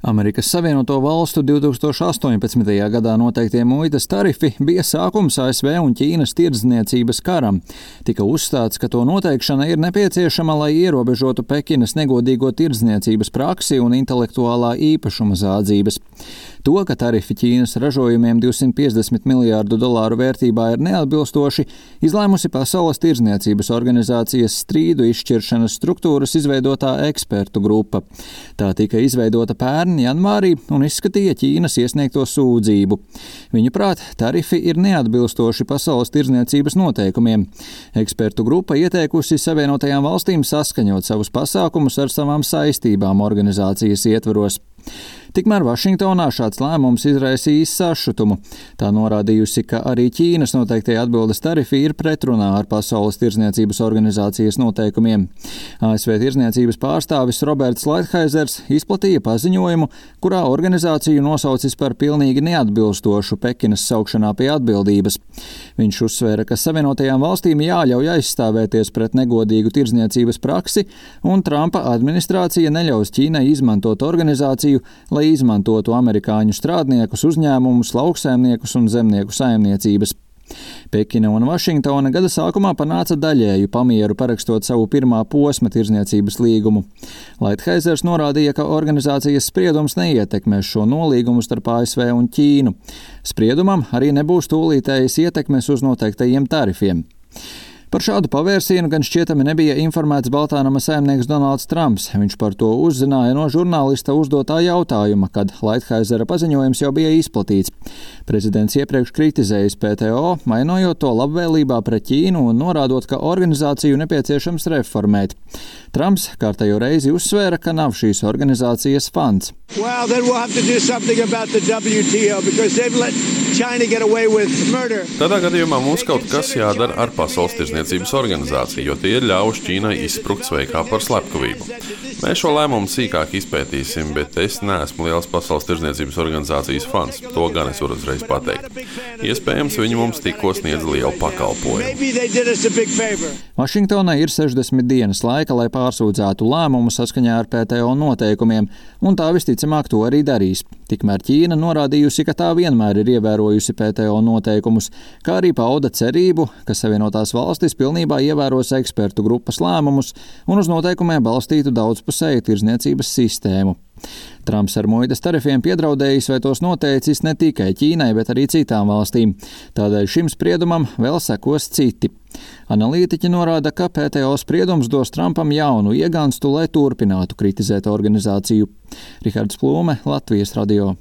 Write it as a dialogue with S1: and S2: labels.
S1: Amerikas Savienoto Valstu 2018. Gadā noteiktie muitas tarifi bija sākums ASV un Ķīnas tirdzniecības karam. Tika uzstāts, ka to noteikšana ir nepieciešama, lai ierobežotu Pekinas negodīgo tirdzniecības praksi un intelektuālā īpašuma zādzības. To, ka tarifi Ķīnas ražojumiem $250 miljārdu vērtībā ir neatbilstoši, izlēmusi Pasaules tirdzniecības organizācijas strīdu izšķiršanas struktūras izveidotā ekspertu grupa. Tā tika izveidota pērn janvārī un izskatīja Ķīnas iesniegto sūdzību. Viņuprāt, tarifi ir neatbilstoši pasaules tirdzniecības noteikumiem. Ekspertu grupa ieteikusi Savienotajām valstīm saskaņot savus pasākumus ar savām saistībām organizācijas ietvaros. Tikmēr Vašingtonā šāds lēmums izraisījis sašutumu. Tā norādījusi, ka arī Ķīnas noteiktie atbildes tarifi ir pretrunā ar Pasaules tirdzniecības organizācijas noteikumiem. ASV tirdzniecības pārstāvis Roberts Laithaizers izplatīja paziņojumu, kurā organizāciju nosaucis par pilnīgi neatbilstošu Pekinas saukšanā pie atbildības. Viņš uzsvēra, ka Savienotajām valstīm jāļauj aizstāvēties pret negodīgu tirdzniecības praksi, un Trumpa administrācija neļaus Ķīnai izmantot organizāciju, lai izmantotu amerikāņu strādniekus, uzņēmumus, lauksaimniekus un zemnieku saimniecības. Pekina un Vašingtona gada sākumā panāca daļēju pamieru, parakstot savu pirmā posma tirdzniecības līgumu. Laithaizers norādīja, ka organizācijas spriedums neietekmēs šo nolīgumu starp ASV un Ķīnu. Spriedumam arī nebūs tūlītējas ietekmes uz noteiktajiem tarifiem. Par šādu pavērsienu gan šķietami nebija informēts Baltānama saimnieks Donalds Trumps. Viņš par to uzzināja no žurnālista uzdotā jautājuma, kad Laithaizera paziņojums jau bija izplatīts. Prezidents iepriekš kritizējis PTO, mainojot to labvēlībā pret Ķīnu un norādot, ka organizāciju nepieciešams reformēt. Trumps kārtējo reizi uzsvēra, ka nav šīs organizācijas fans.
S2: Tādā gadījumā mums kaut kas jādara ar Pasaules tirdzniecības organizāciju, jo tie ir ļaujuši Ķīnai izsprukt sveikā par slepkavību. Mēs šo lēmumu sīkāk izpētīsim, bet es neesmu liels Pasaules tirdzniecības organizācijas fans. To gan es varu uzreiz pateikt. Iespējams, viņi mums tikko sniedz lielu pakalpojumu.
S1: Vašingtonai ir 60 dienas laika, lai pārsūdzētu lēmumu saskaņā ar PTO noteikumiem, un tā visticamāk to arī darīs. Tikmēr Ķīna norādījusi, ka tā vienmēr ir ievērojusi PTO noteikumus, kā arī pauda cerību, ka Savienotās valstis pilnībā ievēros ekspertu grupas lēmumus un uz noteikumiem balstītu daudzpusēju tirdzniecības sistēmu. Trumps ar muitas tarifiem piedraudējis vai tos noteicis ne tikai Ķīnai, bet arī citām valstīm. Tādēļ šim spriedumam vēl sekos citi. Analītiķi norāda, ka PTO spriedums dos Trumpam jaunu ieganstu, lai turpinātu kritizēt organizāciju. Rihards Plūme, Latvijas radio.